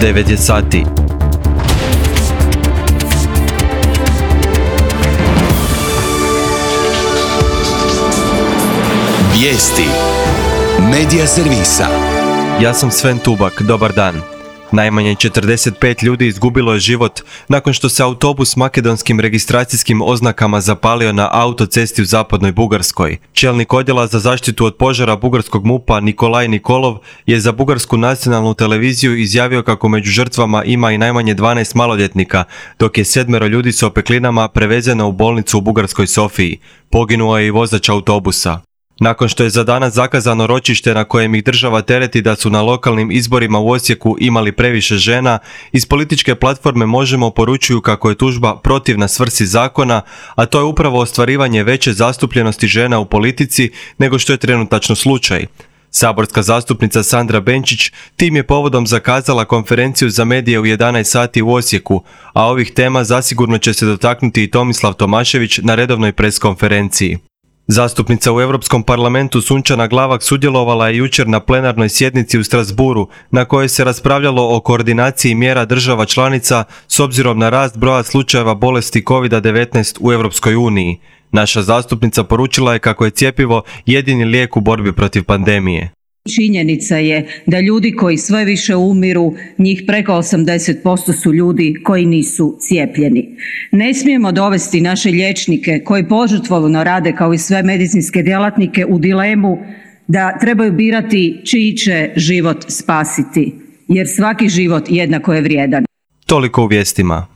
9 je sati. Vijesti Medija servisa. Ja sam Sven Tubak, dobar dan. Najmanje 45 ljudi izgubilo je život nakon što se autobus s makedonskim registracijskim oznakama zapalio na autocesti u zapadnoj Bugarskoj. Čelnik odjela za zaštitu od požara bugarskog MUP-a Nikolaj Nikolov je za bugarsku nacionalnu televiziju izjavio kako među žrtvama ima i najmanje 12 maloljetnika, dok je 7 ljudi s opeklinama prevezeno u bolnicu u bugarskoj Sofiji. Poginuo je i vozač autobusa. Nakon što je za danas zakazano ročište na kojem ih država tereti da su na lokalnim izborima u Osijeku imali previše žena, iz političke platforme Možemo poručuju kako je tužba protivna svrsi zakona, a to je upravo ostvarivanje veće zastupljenosti žena u politici nego što je trenutačno slučaj. Saborska zastupnica Sandra Benčić tim je povodom zakazala konferenciju za medije u 11 sati u Osijeku, a ovih tema zasigurno će se dotaknuti i Tomislav Tomašević na redovnoj preskonferenciji. Zastupnica u Europskom parlamentu Sunčana Glavak sudjelovala je jučer na plenarnoj sjednici u Strasbourgu na kojoj se raspravljalo o koordinaciji mjera država članica s obzirom na rast broja slučajeva bolesti COVID-19 u Europskoj uniji. Naša zastupnica poručila je kako je cjepivo jedini lijek u borbi protiv pandemije. Činjenica je da ljudi koji sve više umiru, njih preko 80% su ljudi koji nisu cijepljeni. Ne smijemo dovesti naše liječnike koji požrtvovno rade kao i sve medicinske djelatnike u dilemu da trebaju birati čiji će život spasiti, jer svaki život jednako je vrijedan. Toliko u vijestima.